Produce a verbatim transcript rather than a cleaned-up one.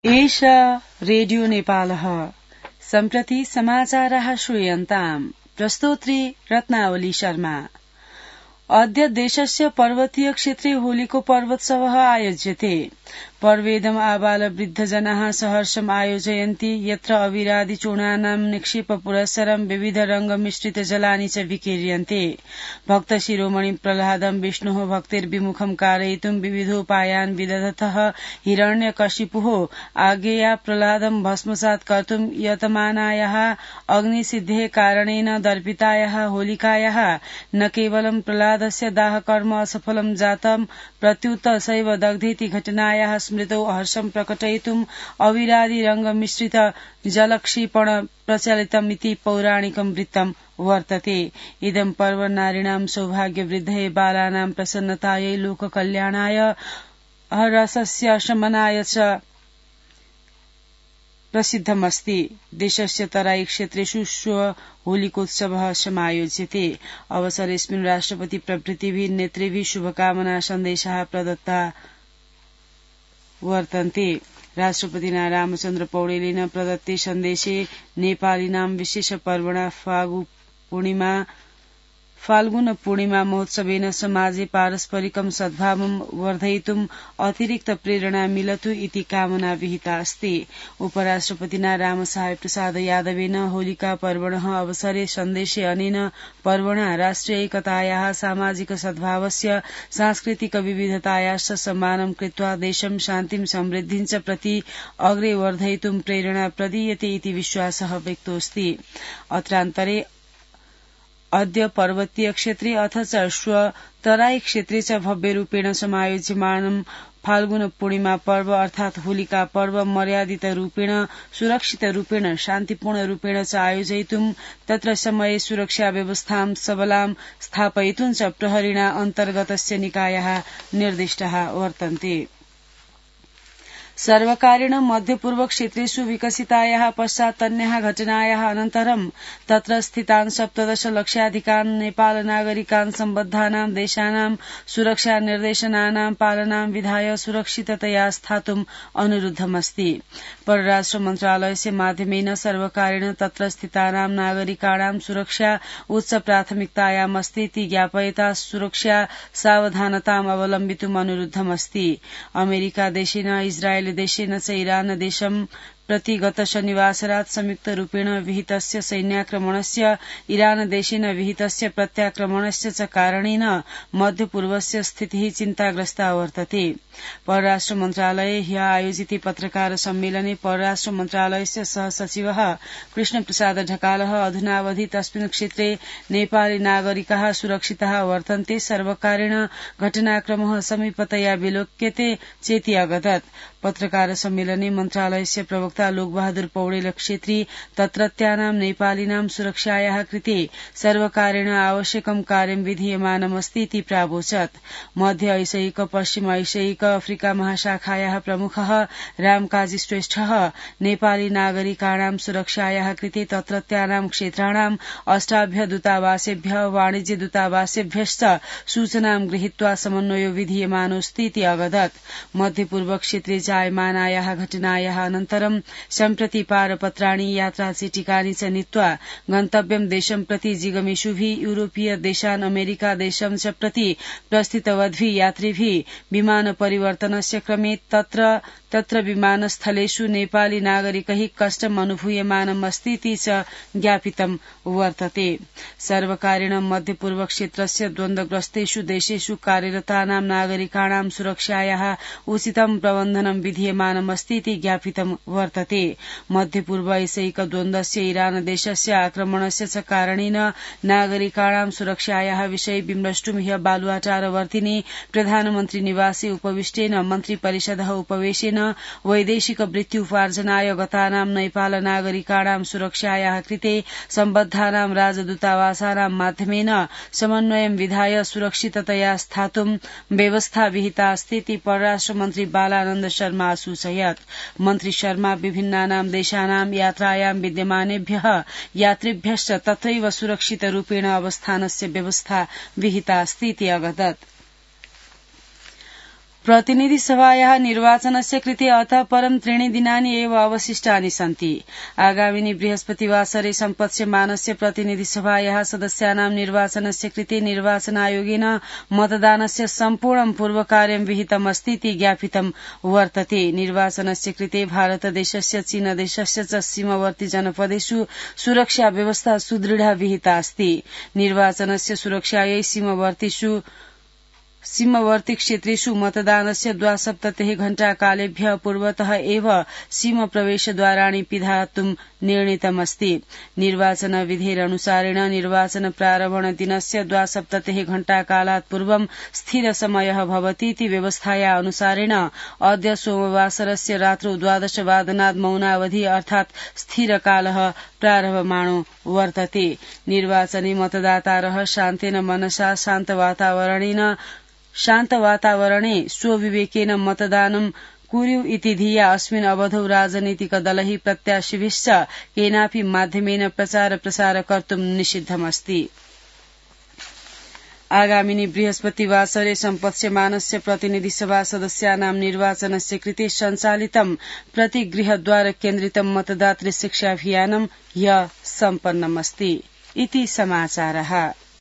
एष रेडियो नेपालः सम्प्रति समाचारः श्रूयन्ताम्। प्रस्तोत्री रत्नावली शर्मा। अद्य देशस्य पर्वतीय क्षेत्रे होलीको पर्वोत्सवः आयोज्यते। पर्वेदम् आबाल वृद्धजनाः सहर्षम् आयोजयन्ति, यत्र अविरादि चूर्णानां निक्षेप पुरस्सरं विविध रंग मिश्रित जलानि च विकीर्यन्ते। भक्त शिरोमणि प्रह्लादं विष्णोः भक्तिर्विमुखं कारयितुं विविधोपायान् विदधतः हिरण्यकशिपुः आज्ञया प्रह्लादं भस्मसात् कर्तुं यतमानायाः अग्निसिद्धेः कारणेन दर्पितायाः होलिकायाः न केवलं प्रह्लादस्य दाहकर्म असफलं जातं, प्रत्युत सैव दग्धेति घटनायाः स्मृतौ हर्षं प्रकटयितुम् अविरादि रंग मिश्रित जलक्षेपण प्रचलितमिति पौराणिकं वृत्तं वर्तते। इदं पर्व नारीणां सौभाग्यवृद्धये बालानां प्रसन्नतायै लोककल्याणाय रसस्य शमनाय च प्रसिद्धमस्ति। देशस्य तराई क्षेत्रेषु श्व होलिकोत्सवः समायोज्यते। अवसरेऽस्मिन् राष्ट्रपति प्रभृतिभिः नेतृभिः शुभकामना सन्देशाः प्रदत्ता वर्तन्ते। राष्ट्रपतिना रामचन्द्र पौडेलेन प्रदत्ते सन्देशे नेपालीनां विशेष पर्वणा फागु पूर्णिमा फाल्गुन पूर्णिमा महोत्सवेन समाजे पारस्परिकं सद्भावं वर्धयितुम् अतिरिक्त प्रेरणा मिलतु इति कामना विहिता अस्ति। उपराष्ट्रपतिना रामसहाय प्रसाद यादवेन होलिका पर्वणः अवसरे सन्देशे अनेन पर्वणा राष्ट्रिय एकतायाः, सामाजिक सद्भावस्य, सांस्कृतिक विविधतायाश्च सम्मानं कृत्वा देशं शान्तिं समृद्धिं च प्रति अग्रे वर्धयितुं प्रेरणा प्रदीयते इति विश्वासः व्यक्तोऽस्ति। अत्रान्तरे अद्य पर्वतीय क्षेत्रे अथ च श्व तराई क्षेत्रे च भव्यरूपेण समायोज्यमानं फाल्गुन पूर्णिमा पर्व अर्थात् होलिका पर्व मर्यादित रूपेण, सुरक्षित रूपेण, शान्तिपूर्ण रूपेण च आयोजयितुं तत्र समये सुरक्षा व्यवस्थां सबलां स्थापयितुं च प्रहरिणा अन्तर्गतस्य निकायाः निर्दिष्टाः वर्तन्ते। सर्वकारेण मध्यपूर्व क्षेत्रेषु विकसितायाः पश्चात्तन्याः घटनायाः अनन्तरं तत्र स्थितान् सप्तदश लक्षाधिकान् नेपाल नागरिकान् सम्बद्धानां देशानां सुरक्षा निर्देशनानां पालनां विधाय सुरक्षिततया स्थातुम् अनुरुद्धमस्ति। परराष्ट्र मन्त्रालयस्य माध्यमेन सर्वकारेण तत्र स्थितानां नागरिकाणां सुरक्षा उच्च प्राथमिकतायामस्ति इति ज्ञापयता सुरक्षा सावधानताम् अवलम्बितुम् अनुरुद्धमस्ति। अमेरिका देशेन इस्राएल देशेन च इरान देशं प्रति गत शनिवासरात् संयुक्त रूपेण विहितस्य सैन्याक्रमणस्य, इरान देशेन विहितस्य प्रत्याक्रमणस्य च कारणेन मध्यपूर्वस्य स्थितिः चिन्ताग्रस्ता वर्तते। परराष्ट्र मन्त्रालये ह्यः आयोजिते पत्रकार सम्मेलने परराष्ट्र मन्त्रालयस्य सहसचिवः कृष्णप्रसाद ढकालः अधुनावधि तस्मिन् क्षेत्रे नेपाली नागरिकाः सुरक्षिताः वर्तन्ते, सर्वकारेण घटनाक्रमः समीपतया विलोक्यते चेति अगदत्। पत्रकार सम्मेलने मन्त्रालयस्य प्रवक्ता लोकबहादुर पौडेल क्षेत्री तत्रत्यानां नेपालीनां सुरक्षायाः कृते सर्वकारेण आवश्यकं कार्यं विधीयमानमस्ति इति प्रावोचत्। मध्य ऐशिक, पश्चिम ऐशिक, अफ्रिका महाशाखायाः प्रमुखः रामकाजी श्रेष्ठः नेपाली नागरिकाणां सुरक्षायाः कृते तत्रत्यानां क्षेत्राणां अष्टाभ्य दूतावासेभ्यः, वाणिज्य दूतावासेभ्यश्च सूचनां गृहीत्वा समन्वयो विधीयमानोऽस्ति इति अवदत्। मध्यपूर्व क्षेत्रे जायमानायाः घटनायाः अनन्तरं सम्प्रति पारपत्राणि, यात्राचिटिकानि च नीत्वा गन्तव्यं देशं प्रति जिगमिषुभिः, यूरोपीय देशान्, अमेरिका देशं च प्रति प्रस्थितवद्भिः यात्रिभिः विमान परिवर्तनस्य क्रमे तत्र तत्र विमानस्थलेषु नेपाली नागरिकैः कष्टम् अनुभूयमानम् अस्ति इति च ज्ञापितं वर्तते। सर्वकारेण मध्यपूर्व क्षेत्रस्य द्वन्द्वग्रस्तेषु देशेषु कार्यरतानां नागरिकाणां सुरक्षायाः उचितं प्रबन्धनं विधीयमानमस्ति इति ज्ञापितं वर्तते। मध्यपूर्व ऐशिक द्वन्द्वस्य इरान देशस्य आक्रमणस्य च कारणेन नागरिकाणां सुरक्षायाः विषये विमृष्टुं ह्यः बालुवाटारवर्तिनि प्रधानमन्त्री निवासे उपविष्टेन मन्त्री परिषदः उपवेशेन वैदेशिक वृत्त्युपार्जनाय गतानां नेपाल नागरिकाणां सुरक्षायाः कृते सम्बद्धानां राजदूतावासानां माध्यमेन समन्वयं विधाय सुरक्षिततया स्थातुं व्यवस्था विहिता अस्ति इति परराष्ट्र मन्त्री बालानन्द शर्मा असूचयत्। मन्त्री शर्मा विभिन्नानां देशानां यात्रायां विद्यमानेभ्यः यात्रिभ्यश्च तत्रैव सुरक्षितरूपेण अवस्थानस्य व्यवस्था विहिता अस्ति इति अवदत्। प्रतिनिधि सभायाः निर्वाचनस्य कृते अतः परं त्रीणि दिनानि एव अवशिष्टानि सन्ति। आगामिनि बृहस्पतिवासरे सम्पत्स्यमानस्य प्रतिनिधि सभायाः सदस्यानां निर्वाचनस्य कृते निर्वाचन आयोगेन मतदानस्य सम्पूर्णं पूर्वकार्यं विहितमस्ति इति ज्ञापितं वर्तते। निर्वाचनस्य कृते भारतदेशस्य चीनदेशस्य च सीमावर्ती जनपदेषु सुरक्षा व्यवस्था सुदृढा विहिता अस्ति। निर्वाचनस्य सुरक्षायै सीमावर्तीषु सीमावर्ती क्षेत्रेषु मतदानस्य द्वासप्ततिः घण्टाकालेभ्यः पूर्वतः एव सीमा प्रवेशद्वाराणि पिधातुं निर्णीतमस्ति। निर्वाचन विधेरनुसारेण निर्वाचन प्रारम्भण दिनस्य द्वासप्ततिः घण्टाकालात् पूर्वं स्थिर समयः भवति इति व्यवस्थाया अनुसारेण अद्य सोमवासरस्य रात्रौ द्वादशवादनात् मौनावधि अर्थात् स्थिरकालः प्रारभमाणो वर्तते। निर्वाचने मतदातारः शान्तेन मनसा शान्तवातावरणेन शान्तवातावरणे स्वविवेकेन मतदानं कुर्यु इति धिया अस्मिन् अवधौ राजनीतिकदलैः प्रत्याशिभिश्च केनापि माध्यमेन प्रचार प्रसार कर्तुं निषिद्धमस्ति। आगामिनि बृहस्पतिवासरे सम्पत्स्यमानस्य प्रतिनिधि सभा सदस्यानां निर्वाचनस्य कृते सञ्चालितं प्रतिगृहद्वार केन्द्रितं मतदातृ शिक्षाभियानं ह्य सम्पन्नमस्ति। इति समाचारः।